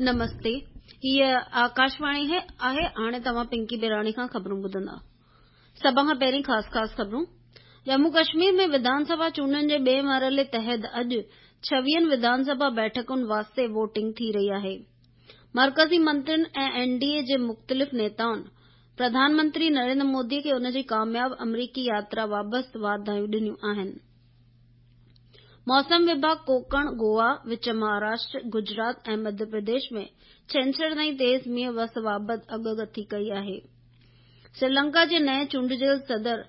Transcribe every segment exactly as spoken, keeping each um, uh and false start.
نمستي، هيء آڪاشواڻي آهي. هاڻي توهان پنڪي بيراڻي کان خبرون ٻڌندا. سڀ کان پهرين خاص خاص خبرون. ڄمون ڪشمير ۾ وڌان سڀا چونڊن جي ٻئي مرحلي تحت اڄ ڇويهن وڌان سڀا بيٺڪن واسطي ووٽنگ ٿي رهي آهي. مرڪزي منترين ۽ اين ڊي اي جي مختلف نيتائن پرڌان منتري نريندر مودي کي ان جي ڪامياب آمريڪي ياترا بابت واڌايون ڏنيون آهن. موسم وڀاڳ ڪوڪڻ، گوا، وچ مهاراشٽر، گجرات ۽ مڌيه پرديش ۾ ڇنڇر تائين تيز مينهن وس بابت اڳڪٿي ڪئي آهي. سريلنڪا جي نئين چونڊجيل صدر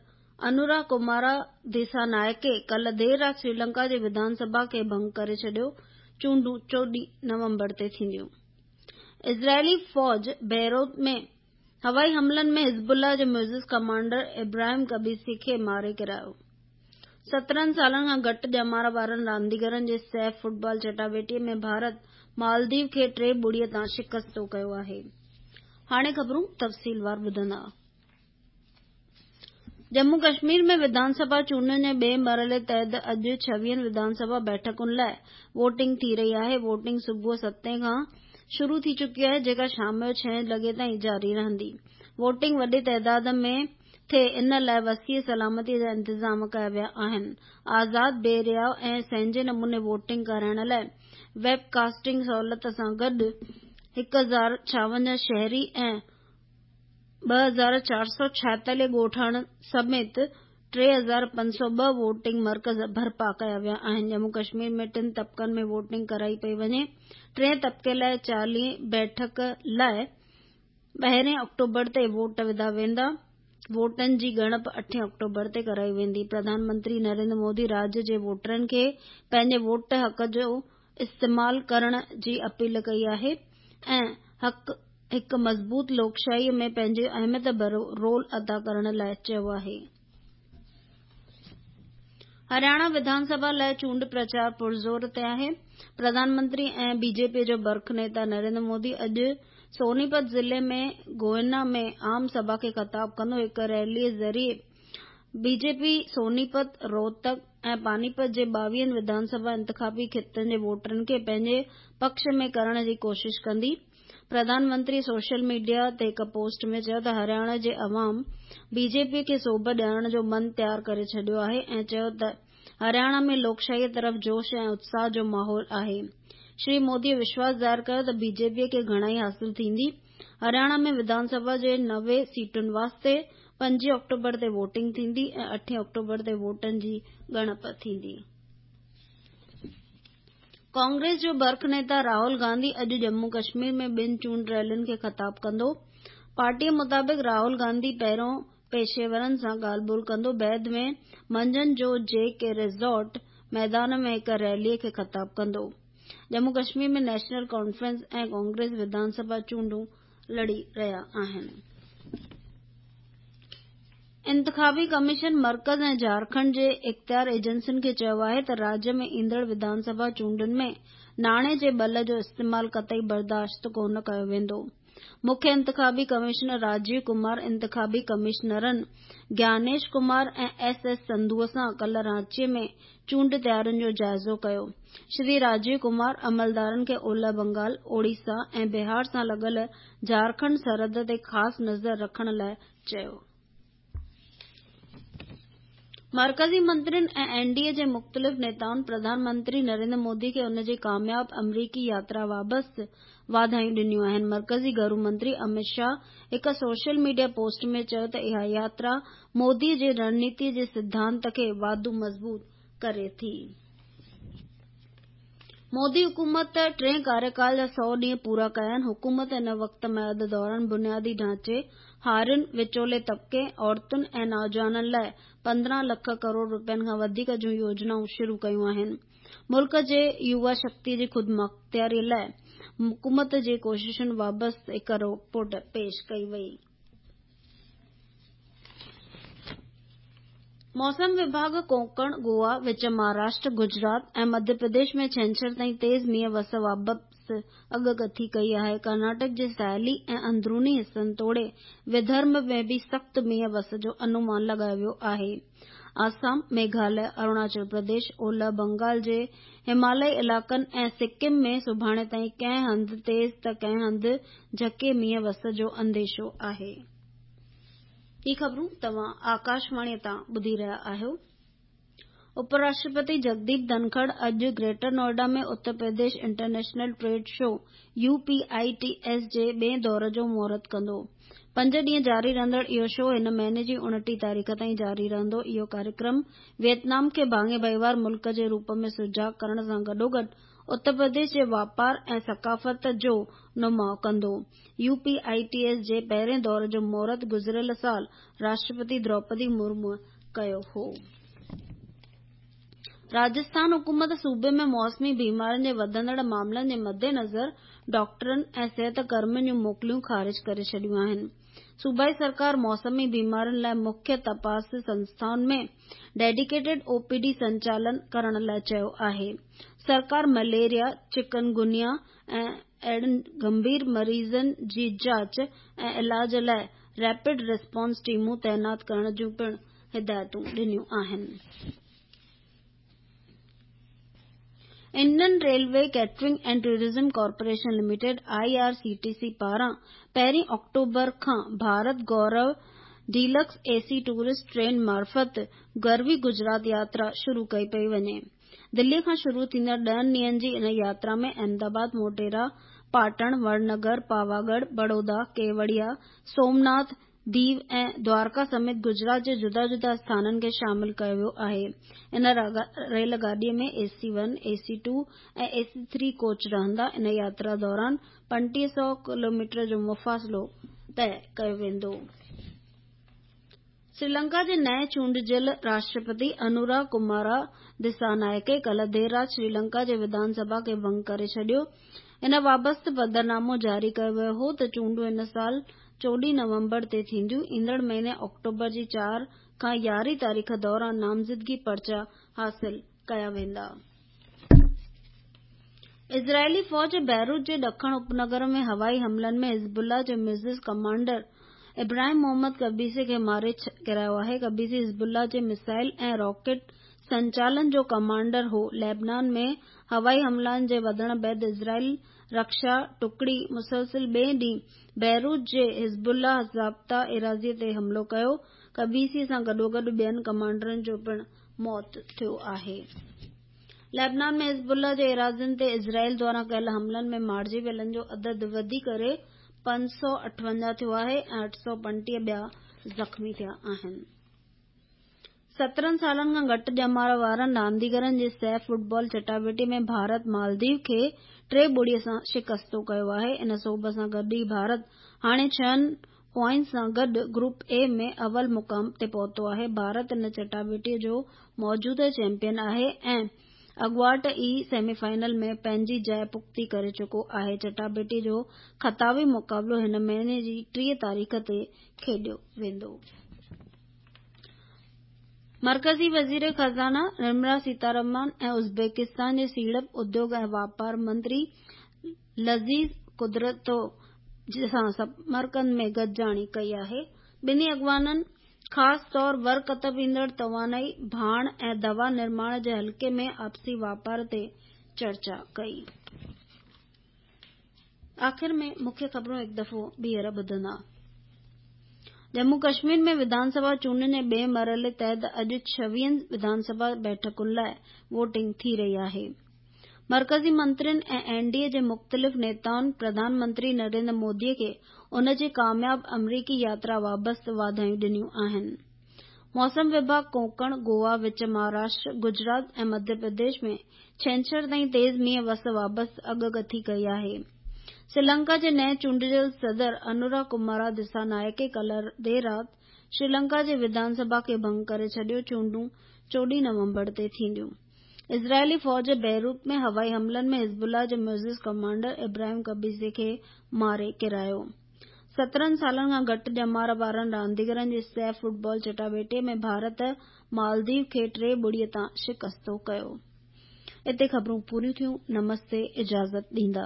انورا ڪمارا ديسانائڪي ڪالهه دير رات سريلنڪا جي وڌان سڀا کي ڀنگ ڪري ڇڏيو. چونڊون چوڏهن نومبر تي ٿينديون. اسرائيلي فوج بيروت ۾ هوائي حملن ۾ حزب الله جي معزز ڪمانڊر ابراهيم قبيسي کي ماري ڪيرايو. سترهن سالن کان گهٽ ڄمار وارن رانديگرن جي سيف فٽبال چٽاڀيٽي ۾ ڀارت مالديپ کي ٽي ٻڙي تان شڪستو ڪيو آهي. هاڻي خبرون تفصيلوار ٻڌندا. ڄمون ڪشمير ۾ وڌان سڀا چونڊن جي ٻئي مرحلي تحت اڄ ڇويهن وڌان سڀا بيٺڪن لاءِ ووٽنگ ٿي رهي آهي. ووٽنگ صبح ستين کان شروع ٿي چڪي آهي، جيڪا شام جو ڇهين لڳي تائين جاري رهندي. ووٽنگ وڏي تعداد ۾ ٿئي ان لاءِ وسيع سلامتي جا انتظام ڪيا ويا آهن. آزاد، بي رياء ۽ سهنجي نموني ووٽنگ ڪرائڻ لاءِ ويب ڪاسٽنگ سهولت سان گڏ هڪ هزار ڇاونجاهه شهري ۽ ٻه هزار چار سؤ ڇائيتاليهه ڳوٺاڻن سميت ٽي هزار پنج سؤ ٻه ووٽنگ مرڪز برپا ڪيا ويا آهن. ڄمون ڪشمير ۾ ٽن طبقن ۾ ووٽنگ ڪرائي پئي وڃي. ٽئين طبقي لاءِ چاليهه بيٺڪ لاءِ ٻارهين آڪٽوبر تي ووٽ وڌا ويندا. ووٽن جي ڳڻپ اٺين آڪٽوبر تي ڪرائي ويندي. پرڌان منتري نريندر مودي راجيه جي ووٽرن کي پنهنجي ووٽ حق جو استعمال ڪرڻ جي اپيل ڪئي آهي ۽ هڪ مضبوط لوڪشاهي ۾ پنهنجو اهميت ڀريو رول ادا ڪرڻ لاءِ چيو آهي. هرياڻا وڌان سڀا لاءِ چونڊ پرچار پرزور تي آهي. پرڌان منتري ۽ بي جي پي جو برک نيتا نريندر مودي اڄ سونيپت ضلعي ۾ گوهنا ۾ عام سڀا کي خطاب ڪندو. هڪ ريلي ذريعي بي جي پي سونيپت، روهتڪ ۽ پانيپت جي ٻاويهن وڌان سڀا انتخابي خطن جي ووٽرن کي پنهنجي پڪش ۾ ڪرڻ جي ڪوشش ڪندي. پرڌان منتري سوشل ميڊيا تي هڪ پوسٽ ۾ چيو ته هرياڻا جي عوام بي جي پي کي سوڀ ڏيارڻ جو من تيار ڪري ڇڏيو آهي ۽ چيو ته هرياڻا ۾ لوڪشاهي طرف جوش ۽ اتساهه جو ماحول آهي. شري مودي وشواس ظاهر ڪيو ته بي جي پي کي گهڻائي حاصل ٿيندي. هرياڻا ۾ وڌان سڀا جي نوي سيٽن واسطي پنجين آڪٽوبر تي ووٽنگ ٿيندي ۽ اٺين آڪٽوبر تي ووٽن جي ڳڻپ ٿيندي. ڪانگريس جو برک نيتا راهول گانڌي اڄ ڄمون ڪشمير ۾ ٻن چونڊ ريلين کي خطاب ڪندو. پارٽيءَ مطابق راهول گانڌي پهريون پيشيورن سان ڳالهه ٻولهه ڪندو، بعد ۾ منجهند جو جي ڪي ريزورٽ ميدان ۾ هڪ ريلي کي خطاب ڪندو. ڄمون ڪشمير ۾ نيشنل ڪانفرنس ۽ ڪانگريس وڌان سڀا چونڊون لڙي رهيا آهن. انتخابي ڪميشن مرڪز ۽ جهارکنڊ جي اختيار ايجنسين کي چيو آهي ته راجيه ۾ ايندڙ وڌان سڀا چونڊن ۾ ناڻي جي ٻل جو استعمال قطعي برداشت ڪونه ڪيو ويندو. مکيه انتخابي ڪمشنر راجيو ڪمار انتخابي ڪمشنرن گيانيش ڪمار ۽ ايس ايس سنڌو سان ڪالهه رانچي ۾ چونڊ تيارين جو جائزو ڪيو. شري راجيو ڪمار عملدارن کي اولهه بنگال، اوڙيسا ۽ بهار سان لڳل جهارکنڊ سرحد تي خاص نظر رکڻ لاءِ چيو. مرڪزي منترين ۽ اين ڊي اي جي مختلف نيتائن پرڌان منتري نريندر مودي کي ان جي ڪامياب آمريڪي ياترا بابت واڌايون ڏنيون آهن. مرڪزي گهرو منتري امت شاهه هڪ سوشل ميڊيا پوسٽ ۾ چيو ته اها ياترا مودي جي رڻنيتي جي سڌانت کي واڌو مضبوط ڪري ٿي. مودي حڪومت ٽئين ڪاريڪال جا سؤ ڏينهن پورا ڪيا آهن. حڪومت ان وقت ميعاد دوران بنيادي ڍانچي، هارين، وچولي طبقي، عورتن ۽ نوجوانن لاءِ پندرهن لک ڪروڙ رپين کان وڌيڪ جون يوجنائون شروع ڪيون آهن. ملڪ جي يووا شڪتي جي خودمختياري لاءِ حڪومت جي ڪوششن بابت هڪ رپورٽ پيش ڪئي وئي. موسم وڀاڳ ڪوڪڻ، گوا، وچ مهاراشٽر، گجرات ۽ مڌيه پرديش ۾ ڇنڇر تائين تيز مينهن وس بابت وابسته اڳڪٿي ڪئي آهي. ڪرناٽڪ جي ساحلي ۽ اندروني حصن توڙي وڌرڀ ۾ به سخت مينهن وس جو انومان لڳايو ويو آهي. آسام، ميگهاليه، اروناچل پرديش، اولهه بنگال جي هماليائي علائقن ۽ سڪم ۾ سڀاڻي تائين ڪنهن هنڌ تيز ته ڪنهن هنڌ جهڪي مينهن وس جو انديشو آهي. هي خبرون توهان آڪاشواڻي تان ٻڌي رهيا آهيو. اپراشٽرپتي جگديپ ڌنکڙ اڄ greater Noida ۾ Uttar Pradesh international trade show U P I T S جي ٻئي دور جو مهورت ڪندو. پنج ڏينهن جاري رهندڙ اهو شو هن مهيني جي اڻٽيهه تاريخ تائين جاري رهندو. اهو ڪاريڪرم ويٽنام کي ڀاڱي ڀائيوار ملڪ جي روپ ۾ سجاڳ ڪرڻ سان گڏوگڏ اتر پرديش جي واپار ۽ ثقافت جو نماءُ ڪندو. U P I T S جي پهرين دور جو مهورت گذريل سال راشٽرپتي دروپدي مرمو ڪيو هو. راجسٿان حڪومت صوبي ۾ موسمي بيمارين جي وڌندڙ معاملن جي مدنظر ڊاڪٽرن ۽ صحت ڪرمين جون موڪلون خارج ڪري ڇڏيون آهن. صوبائي سرڪار موسمي بيمارين لاءِ مکيه تپاس سنسٿائن ۾ ڊيڊيڪيٽيڊ او پي ڊي سنچالن ڪرڻ لاءِ چيو آهي. سرڪار مليريا، چڪنگونيا ۽ اهڙن گنڀير مريضن جي جاچ ۽ علاج لاءِ ريپڊ رسپانس ٽيمون تعينات ڪرڻ جون پڻ هدايتون ڏنيون آهن. Indian railway catering and tourism corporation limited I R C T C پاران پهرين آڪٽوبر کان Bharat Gaurav deluxe A C tourist train معرفت گروي گجرات ياترا شروع ڪئي پئي وڃي. دلي کان شروع ٿيندڙ ڏهن ڏينهن جي ان ياترا ۾ احمدآباد، موٽيرا، پاٽڻ، وڙنگر، پاواڳڙهه، بڙودا، ڪيوڙيا، سومناٿ، ديو ۽ دوارڪا سميت گجرات جي جدا جدا اسٿانن کي شامل ڪيو ويو آهي. ان ريل گاڏي ۾ A C one, A C two ۽ A C three coach رهندا. ان ياترا دوران پنٽيهه سؤ ڪلوميٽر جو مفاصلو طئي ڪيو ويندو. سريلنڪا جي نئين چونڊجيل راشٽرپتي انورا ڪمارا دسانائڪي ڪالهه دير رات سريلنڪا جي وڌان سڀا کي ڀنگ ڪري ڇڏيو. ان وابسته پڌرنامو جاري ڪيو ويو هو ته چونڊون هن سال چوڏهين نومبر تي ٿينديون. ايندڙ مهيني آڪٽوبر جي چار کان يارهين تاريخ دوران نامزدگي پرچا حاصل ڪيا ويندا. اسرائيلي فوج بيروت جي ڏکڻ اپنگر ۾ هوائي حملن ۾ حزب الله جي معزز ڪمانڊر ابراهيم محمد قبيسي کي ماري ڪيرايو آهي. قبيسي حزب الله جي ميزائل ۽ راڪيٽ سنچالن جو ڪمانڊر هو. ليبنان ۾ هوائي حملن جي وڌڻ بعد اسرائيل رڪشا ٽڪڙي مسلسل ٻئي ڏينهن بيروت جي حزب الله ضابطا ايراضي تي حملو ڪيو. قبيسي سان گڏوگڏ ٻين ڪمانڊرن جو پڻ موت ٿيو آهي. ليبنان ۾ حزب الله جي ايراضين تي اسرائيل دواران ڪيل حملن ۾ مارجي ويلن جو عدد وڌي ڪري پنج سؤ اٺونجاهه ٿيو آهي ۽ اٺ سؤ پنٽيهه ٻيا زخمي ٿيا آهن. سترهن سالن کان گهٽ ڄمار وارن رانديگرن جي سيف فٽبال چٽاڀيٽي ۾ ڀارت مالديو کي ٽي ٻڙي سان شڪستو ڪيو آهي. ان سوڀ سان گڏ ئي ڀارت هاڻي ڇهن پوائنٽس سان گڏ گروپ اي ۾ اول مقام تي پهتو آهي. ڀارت ان چٽاڀيٽي جو موجوده چيمپيئن آهي ۽ اڳواٽ ئي سيمي فائنل ۾ پنهنجي جاءِ پختي ڪري چڪو آهي. چٽاڀيٽي جو خطابي مقابلو هن مهيني جي ٽيهه تاريخ تي کيڏيو ويندو. مرڪزي وزير خزانه نرملا سيتارمان ۽ ازبڪستان جي سيڙپ، اديوگ ۽ واپار منتري لذيذ قدرتو سان سمرقند ۾ گڏجاڻي ڪئي آهي. ٻنهي اڳواڻن خاص طور ور ڪتب ايندڙ توانائي، ڀاڻ ۽ دوا نرماڻ جي حلقي ۾ آپسي واپار تي چرچا ڪئي. آخر ۾ مکيه خبرون هڪ دفعو ٻيهر ٻڌندا. ڄمون ڪشمير ۾ وڌان سڀا چونڊن جي ٻئي مرحلي تحت اڄ ڇويهن وڌان سڀا بيٺڪن لاءِ ووٽنگ ٿي رهي آهي. مرڪزي منترين ۽ اين ڊي اي جي مختلف نيتائن پرڌان منتري نريندر مودي کي ان جي ڪامياب آمريڪي ياترا وابسته واڌايون ڏنيون آهن. موسم وڀاڳ ڪونڪڻ، گوا، وچ مهاراشٽر، گجرات ۽ مڌيه پرديش ۾ ڇنڇر تائين تيز مينهن وس وابسته اڳڪٿي ڪئي آهي. سريلنڪا جي نئين چونڊجيل صدر انورا ڪمارا دسانائڪي ڪالهه دير رات سريلنڪا جي وڌان سڀا کي ڀنگ ڪري ڇڏيو. چونڊون چوڏهين نومبر تي ٿينديون. اسرائيلي فوج بيروت ۾ هوائي حملن ۾ حزب الله جي معزز ڪمانڊر ابراهيم قبيسي کي ماري ڪيرايو. سترهن سالن کان گهٽ ڄمار وارن رانديگرن جي سيف فٽبال چٽاڀيٽي ۾ ڀارت مالديو کي ٽي ٻڙي تان شڪستو ڪيو. اتي خبرون پوريون ٿيون. نمستي، اجازت ڏيندا.